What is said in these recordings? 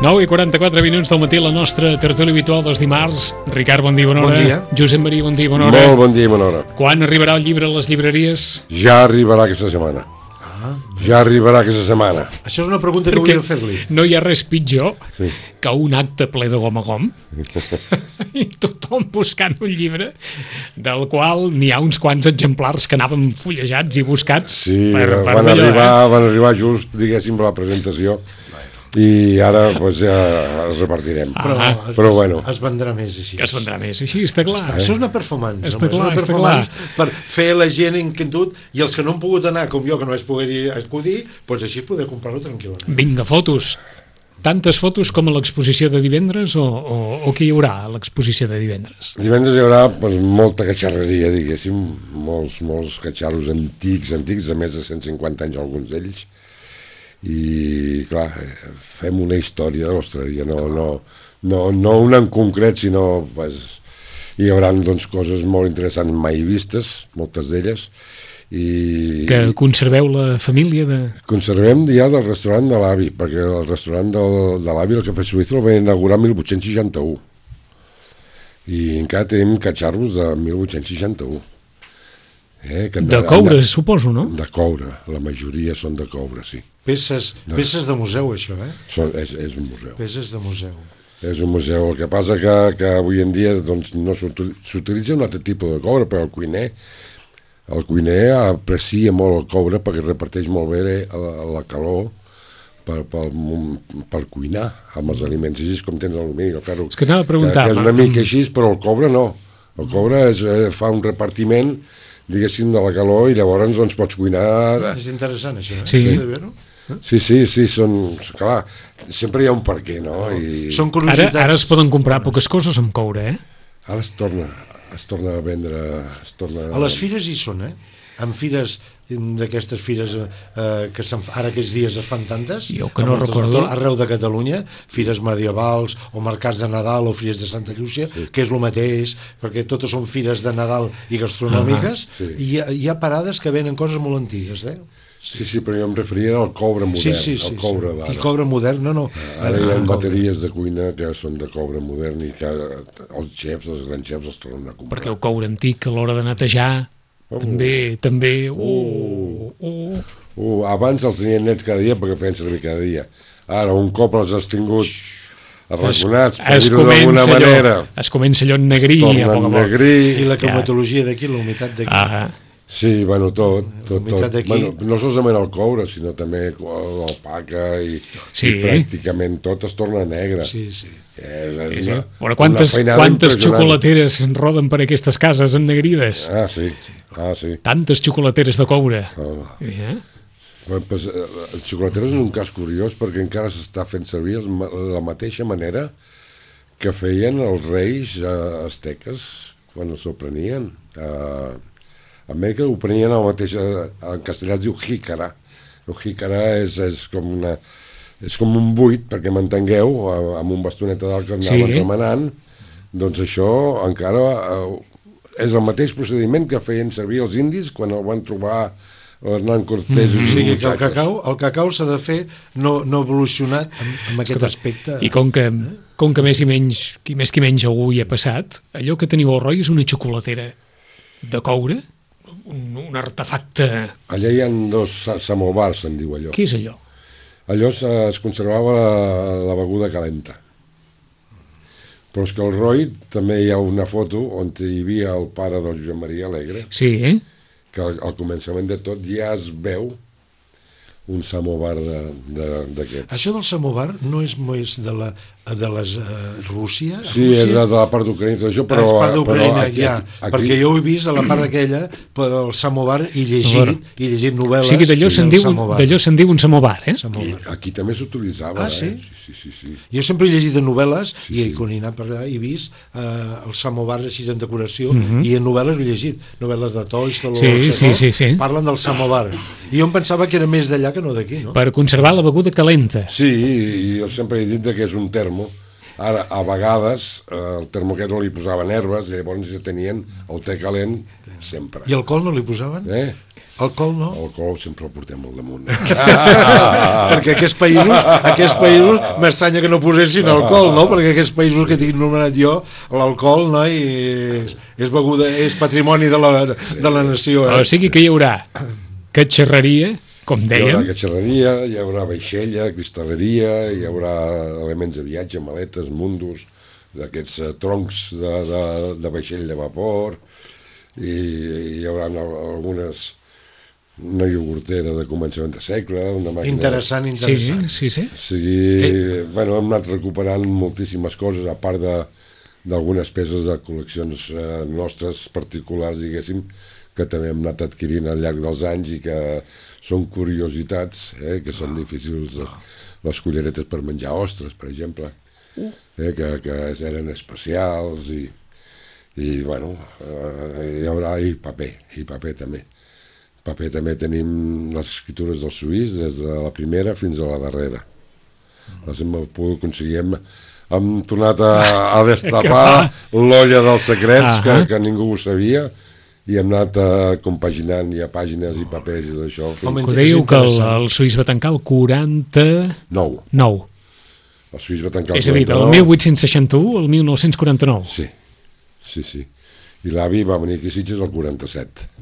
9 i 44 minuts del matí, la nostra tertúlia habitual dels dimarts. Ricard, bon dia, bona hora. Bon dia. Josep Maria, bon dia, bona hora. Molt bon dia i bona hora. Quan arribarà el llibre a les llibreries? Ja arribarà aquesta setmana. Ja arribarà aquesta setmana. Això és una pregunta que volia fer-li. No hi ha res pitjor que un acte ple de gom a gom i tothom buscant un llibre del qual n'hi ha uns quants exemplars que anaven fullejats i buscats. Sí, van arribar just, diguéssim, la presentació i ara pues, ja els repartirem. Però bueno. Es vendrà més així. Es vendrà més així, està clar. Això és una performance. Està clar, és una performance per fer la gent inquietud i els que no han pogut anar, com jo, que no vaig poder acudir, doncs així poder comprar-ho tranquil·lament. Vinga, fotos. Tantes fotos com a l'exposició de divendres o què hi haurà a l'exposició de divendres? Divendres hi haurà pues, molta catxarreria, diguéssim, molts catxarros antics, de més de 150 anys alguns d'ells, i clar, fem una història de l'Australia, no una en concret, sinó pues, hi haurà doncs, coses molt interessants mai vistes, moltes d'elles. Que conserveu la família? Conservem ja del restaurant de l'avi, perquè el restaurant de l'avi, el Cafè Suïssa, el va inaugurar el 1861 i encara tenim catxarros de 1861. De coure, suposo, no? De coure, la majoria són de coure, sí. Peces de museu, això, És un museu. Peces de museu. És un museu. El que passa que avui en dia doncs, no s'utilitza un altre tipus de coure, però el cuiner aprecia molt el coure perquè reparteix molt bé la calor per cuinar amb els aliments. Així com tens l'alumini, el ferro, que anava a preguntar, que és una mica així, però el coure no. El coure fa un repartiment, diguéssim, de la calor i llavors doncs, pots cuinar. És interessant, això. Sí, clar, sempre hi ha un per què, no? Són curiositats. Ara es poden comprar poques coses amb coure, Ara es torna a vendre... A les fires hi són, en fires d'aquestes fires que ara aquests dies es fan tantes, jo que no recordo, arreu de Catalunya, fires medievals o mercats de Nadal o fires de Santa Llúcia, que és el mateix, perquè totes són fires de Nadal i gastronòmiques, i hi ha parades que venen coses molt antigues, Sí, però jo em referia al coure modern, al coure d'ara. I coure modern, no. Ara hi ha bateries de cuina que són de coure modern i que els xefs, els grans xefs els tornen a comprar. Perquè el coure antic a l'hora de netejar també... Abans els tenien nets cada dia perquè feien servir cada dia. Ara, un cop els has tingut arraconats, per dir-ho d'alguna manera, es comença allò en negrí, i la climatologia d'aquí, la humitat d'aquí. Sí, bueno, tot. No solament el coure, sinó també l'alpaca i pràcticament tot es torna negre. Sí. Quantes xocolateres roden per aquestes cases ennegrides? Sí. Tantes xocolateres de coure. El xocolateres és un cas curiós perquè encara s'està fent servir la mateixa manera que feien els reis asteques quan s'ho prenien. A Amèrica ho prenien el mateix, en castellà es diu jícara. El jícara és com un buit, perquè m'entengueu, amb un bastoneta d'alt que anaven remenant, doncs això encara és el mateix procediment que feien servir els indis quan el van trobar Hernán Cortés. O sigui que el cacau s'ha de fer no evolucionat en aquest aspecte. I com que més i menys, qui més qui menys algú hi ha passat, allò que teniu al Roi és una xocolatera de coure, un artefacte... Allà hi ha dos samobars, se'n diu allò. Què és allò? Allò es conservava la beguda calenta. Però és que al Roi també hi ha una foto on hi havia el pare del Josep Maria Alegre, Sí, que al començament de tot ja es veu un samovar d'aquests. Això del samovar no és més de les Rússia? Sí, és de la part d'Ucraïna, tot això, però... És part d'Ucraïna, aquí, ja. Perquè jo ho he vist a la part d'aquella, el samovar, i llegit novel·les. O sigui, d'allò se'n diu un samovar, Aquí també s'utilitzava, Ah, sí? Sí. Jo sempre he llegit en novel·les, i quan he anat per allà he vist els samovars així en decoració, i en novel·les he llegit, novel·les de Tolstoi, sí. Parlen del samovar. I jo em pensava que era més d'allà que no d'aquí, no? Per conservar la beguda calenta. Sí, i jo sempre he dit que és un termo. Ara, a vegades, el termo aquest no li posaven herbes, i llavors ja tenien el te calent sempre. I alcohol no li posaven? Alcohol no? Alcohol sempre el portem al damunt. Perquè aquests països m'estranya que no posessin alcohol, no? Perquè aquests països que tinc nomenat jo, l'alcohol, no? És beguda, és patrimoni de la nació. O sigui que hi haurà catxarreria, com dèiem. Hi haurà catxarreria, hi haurà vaixella, cristalleria, hi haurà elements de viatge, maletes, mundos, d'aquests troncs de vaixell de vapor, i hi haurà algunes... una iogurtera de començament de segle, una màquina... Interessant. Sí. O sigui, bueno, hem anat recuperant moltíssimes coses, a part d'algunes peces de col·leccions nostres particulars, diguéssim, que també hem anat adquirint al llarg dels anys i que són curiositats, que són difícils, les culleretes per menjar ostres, per exemple, que eren especials, i bueno, hi haurà paper també. Paper també tenim les escritures del suís des de la primera fins a la darrera. Les hem pogut aconseguir, hem tornat a destapar l'olla dels secrets, que ningú ho sabia, i hem anat compaginant ja pàgines i papers i tot això. Que dèieu que el suís va tancar el 49. El suís va tancar el 49. És a dir, del 1861 al 1949. Sí. I l'avi va venir aquí a Sitges el 47.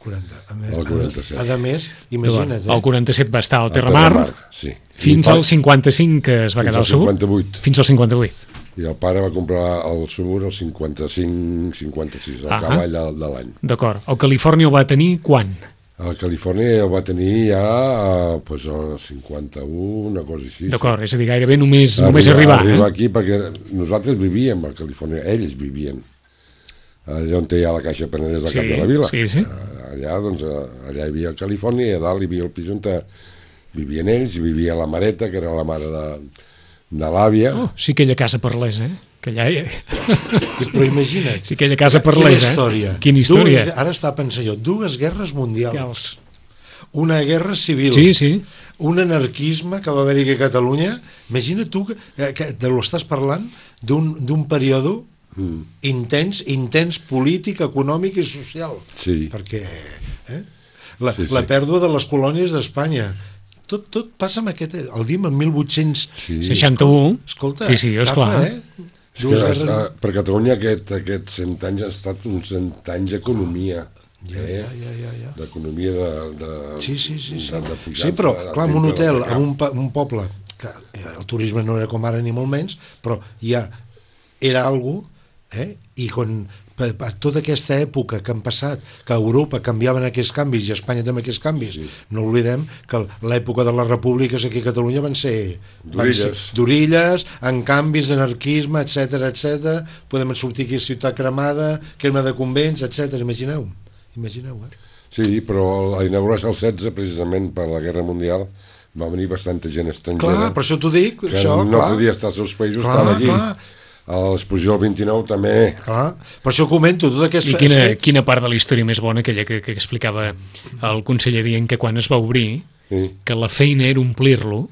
El 47. A més, imagina't. El 47 va estar al Terramar, fins al 55 que es va quedar al Subur. Fins al 58. I el pare va comprar el Subur al 55-56, al cavall de l'any. D'acord. El Califòrnia el va tenir quan? El Califòrnia el va tenir ja al 51, una cosa així. D'acord, és a dir, gairebé només arribar. Arribar aquí perquè nosaltres vivíem a Califòrnia, ells vivien. Allà on hi ha la Caixa Penedès al cap de la vila. Sí. Allà hi havia Califòrnia, i a dalt hi havia el pis on vivien ells, i vivia la mareta, que era la mare de l'àvia. Sí, aquella casa parlés, que allà... Però imagina't. Sí, aquella casa parlés, Quina història. Ara està pensant jo, 2 guerres mundials, una guerra civil, un anarquisme que va haver-hi a Catalunya. Imagina't tu que lo estàs parlant d'un període intens polític, econòmic i social, perquè la pèrdua de les colònies d'Espanya, tot passa amb aquest, el diem en 1861. Escolta, esclar. Per Catalunya aquests 100 anys han estat uns 100 anys d'economia, d'economia de sí, però clar, en un hotel, en un poble que el turisme no era com ara ni molt menys, però ja era alguna cosa, i quan tota aquesta època que han passat, que a Europa canviaven aquests canvis i a Espanya també aquests canvis, no oblidem que l'època de les repúbliques aquí a Catalunya van ser d'orilles, en canvis, anarquisme, etc. Podem sortir aquí a Ciutat Cremada, crema de convents, etc. Imagineu. Sí, però a inaugurar-se el 16, precisament per la Guerra Mundial, va venir bastanta gent estrangera. Clar, per això t'ho dic. Que no podia estar als seus països, estava aquí. A l'exposició del 29 també. Clar, per això comento tot aquest... I quina part de la història més bona, aquella que explicava el conseller dient que quan es va obrir, que la feina era omplir-lo,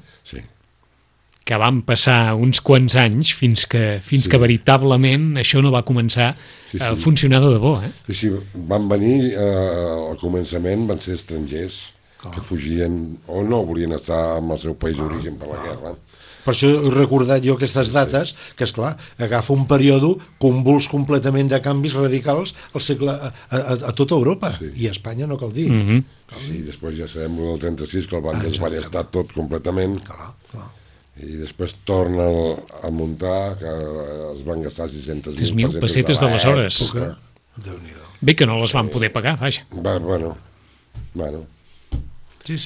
que van passar uns quants anys fins que veritablement això no va començar a funcionar de debò. Sí, van venir, al començament van ser estrangers que fugien o no volien estar en el seu país d'origen per la guerra. Per això he recordat jo aquestes dates, que esclar, agafa un període convuls completament de canvis radicals al segle a tota Europa, i a Espanya no cal dir. Sí, després ja sabem el 36, que el van desballestar tot completament. i després torna a muntar, que es van gastar 600.000 pessetes d'aleshores. Bé que no les van poder pagar, vaja. Bueno. Sí.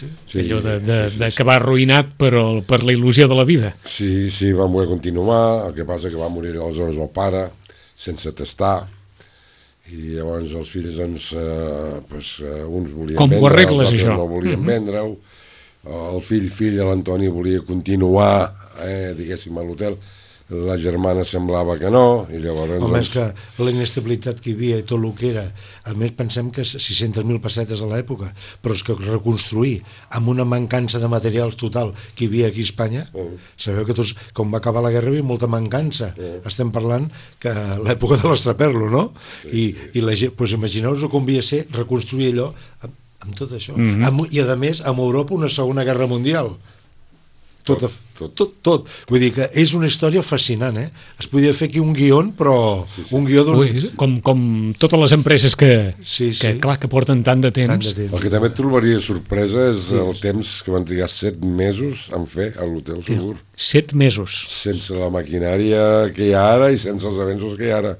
Allò d'acabar arruïnat per la il·lusió de la vida. Sí, van voler continuar, el que passa que va morir aleshores el pare, sense testar, i llavors els fills, doncs, uns volien com vendre, ho arregles, els altres això? No volien vendre-ho. El fill, l'Antoni, volia continuar, diguéssim, a l'hotel. La germana semblava que no, i llavors... Home, és que la inestabilitat que hi havia i tot el que era... A més, pensem que 600.000 pessetes a l'època, però és que reconstruir amb una mancança de materials total que hi havia aquí a Espanya, sabeu que tots, com va acabar la guerra, hi havia molta mancança. Estem parlant que l'època de l'estraperlo, no? I la gent, doncs imagineu-vos com havia de ser reconstruir allò amb tot això. I a més, amb Europa una segona guerra mundial. Tot. Vull dir que és una història fascinant, Es podia fer aquí un guió, però un guió d'un... Com totes les empreses que clar, que porten tant de temps. El que també et trobaria sorpresa és el temps que van trigar 7 mesos en fer a l'hotel Segur. 7 mesos. Sense la maquinària que hi ha ara i sense els avenços que hi ha ara.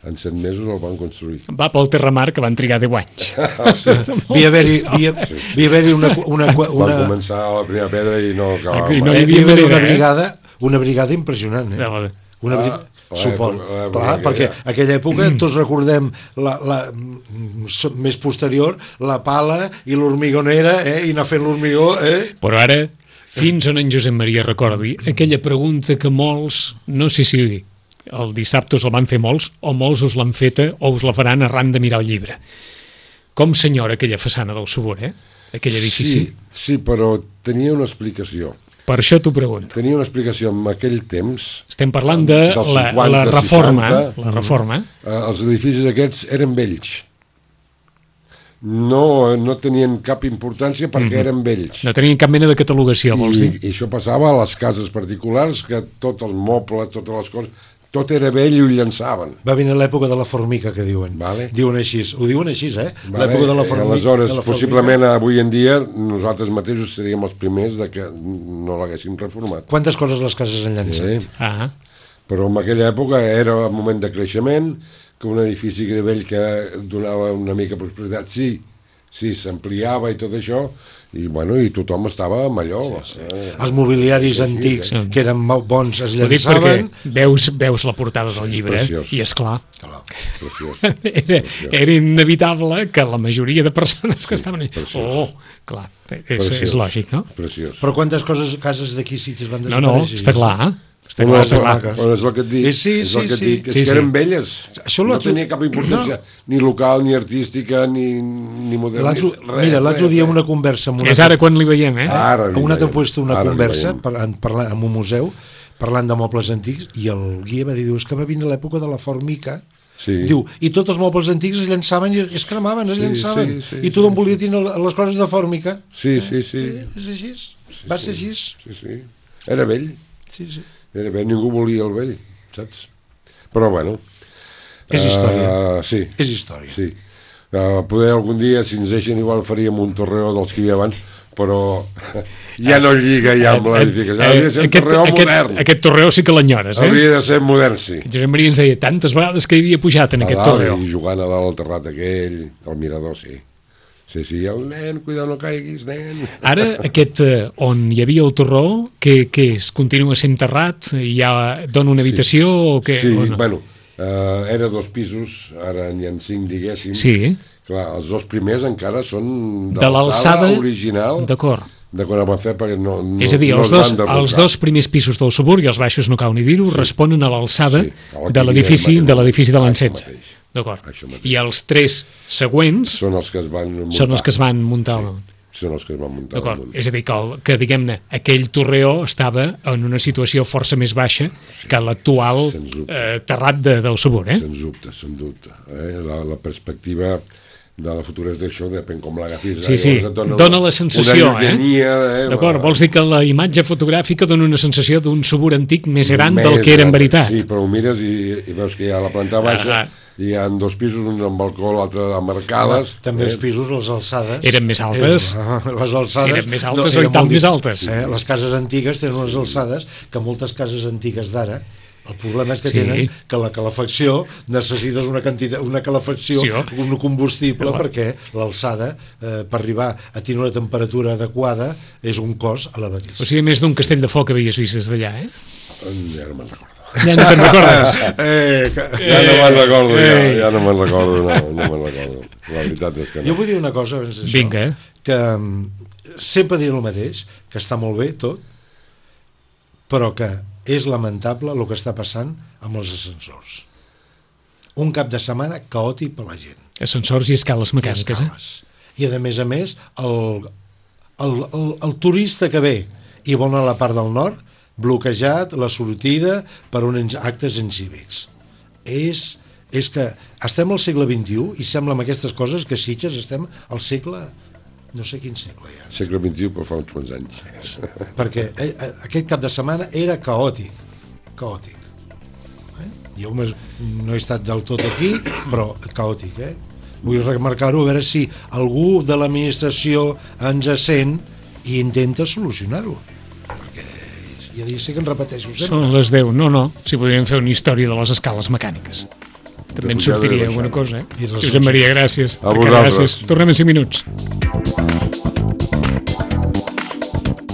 En 7 mesos el van construir. Va pel Terramar, que van trigar 10 anys. Havia haver-hi una... Van començar a la primera pedra i no acabaven. No hi havia haver una brigada impressionant, Suport. Clar, perquè aquella època tots recordem més posterior la pala i l'hormigonera i anar fent l'hormigó. Però ara, fins on en Josep Maria recordi aquella pregunta que molts, no sé si el dissabte us la van fer molts o molts us l'han feta o us la faran arran de mirar el llibre. Com senyora aquella façana del Subur, aquell edifici? Sí, però tenia una explicació. Per això t'ho pregunto. Tenia una explicació en aquell temps. Estem parlant de la reforma. La reforma. Els edificis aquests eren vells. No tenien cap importància perquè eren vells. No tenien cap mena de catalogació, vols dir? I això passava a les cases particulars, que tots els mobles, totes les coses... Tot era vell i ho llançaven. Va venir l'època de la formica, que diuen. Diuen així. Ho diuen així, L'època de la formica. Aleshores, possiblement, avui en dia, nosaltres mateixos seríem els primers que no l'haguéssim reformat. Quantes coses les cases han llançat? Però en aquella època era un moment de creixement, que un edifici que era vell que donava una mica prosperitat, sí, s'ampliava i tot això, i tothom estava amb allò. Els mobiliaris antics que eren molt bons es llançaven. Veus la portada del llibre i és clar. Preciós. Era inevitable que la majoria de persones que estaven allà... Clar, és lògic, no? Preciós. Però quantes cases d'aquí sitios van desaparèixer? No, està clar, Però és el que et dic, és que eren velles. No tenia cap importància, ni local, ni artística, ni modernista. Mira, l'altre dia una conversa... És ara quan li veiem, Un altre puesto una conversa parlant en un museu, parlant de mobles antics, i el guia va dir, és que va venir l'època de la formica. Diu, i tots els mobles antics es llançaven i es cremaven, i tothom volia tenir les coses de fòrmica. Sí. És així, va ser així. Sí. Era vell. Sí. Era bé, ningú volia el vell, saps? Però bueno... És història. Sí. És història. Sí. Poder algun dia, si ens deixen, igual faríem un torreó dels que hi havia abans, però ja no lliga ja amb l'edificació. Hauria de ser un torreó modern. Aquest torreó sí que l'enyores, Hauria de ser modern, sí. Josep Maria ens deia tantes vegades que hi havia pujat en aquest torreó. I jugant a dalt al terrat aquell, al mirador, sí. Sí, el nen, cuidado, no caiguis, nen. Ara, aquest on hi havia el torró, que es continua sent terrat, ja dona una habitació o què? Sí, bueno, era 2 pisos, ara n'hi ha 5, diguéssim. Sí. Clar, els 2 primers encara són de l'alçada original. D'acord. De quan el van fer, perquè no és a dir, els 2 primers pisos del Subur, i els baixos no cal ni dir-ho, responen a l'alçada de l'edifici de l'Encensa. D'acord. I els 3 següents són els que es van muntar. Són els que es van muntar. D'acord. És a dir, que diguem-ne, aquell torreó estava en una situació força més baixa que l'actual terrat del Subur. Sens dubte. La perspectiva de la futura d'això depèn com l'agafis. Sí, dona la sensació, d'acord, vols dir que la imatge fotogràfica dona una sensació d'un Subur antic més gran del que era en veritat. Sí, però ho mires i veus que hi ha la planta baixa hi ha 2 pisos, un amb balcó, l'altre amb arcades. També els pisos, les alçades... Eren més altes. Les alçades... Eren més altes o i tant més altes. Les cases antigues tenen unes alçades que moltes cases antigues d'ara, el problema és que tenen que la calefacció necessites una calefacció, un combustible, perquè l'alçada, per arribar a tenir una temperatura adequada, és un cost elevadíssim. O sigui, més d'un castell de foc havies vist des d'allà, eh? Ja no me'n recordo. Ja no te'n recordes? Ja no me'n recordo, no me'n recordo. La veritat és que no. Jo vull dir una cosa abans d'això. Vinga. Que sempre diré el mateix, que està molt bé tot, però que és lamentable el que està passant amb els ascensors. Un cap de setmana caòtic per la gent. Ascensors i escales mecàniques, I a més, el turista que ve i vol anar a la part del nord, bloquejat la sortida per uns actes incívics. És que estem al segle XXI i sembla amb aquestes coses que Sitges estem al segle... no sé quin segle ja. Segle XXI, però fa uns quants anys. Perquè aquest cap de setmana era caòtic. Jo no he estat del tot aquí, però caòtic, Vull remarcar-ho, a veure si algú de l'administració ens sent i intenta solucionar-ho. Perquè ja sé que en repeteixo sempre. Són les 10, no. Si podríem fer una història de les escales mecàniques. També en sortiria alguna cosa, Josep Maria, gràcies. A vosaltres. Tornem en 5 minuts.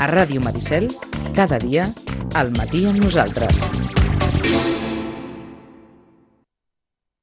A Ràdio Maricel, cada dia, al matí amb nosaltres.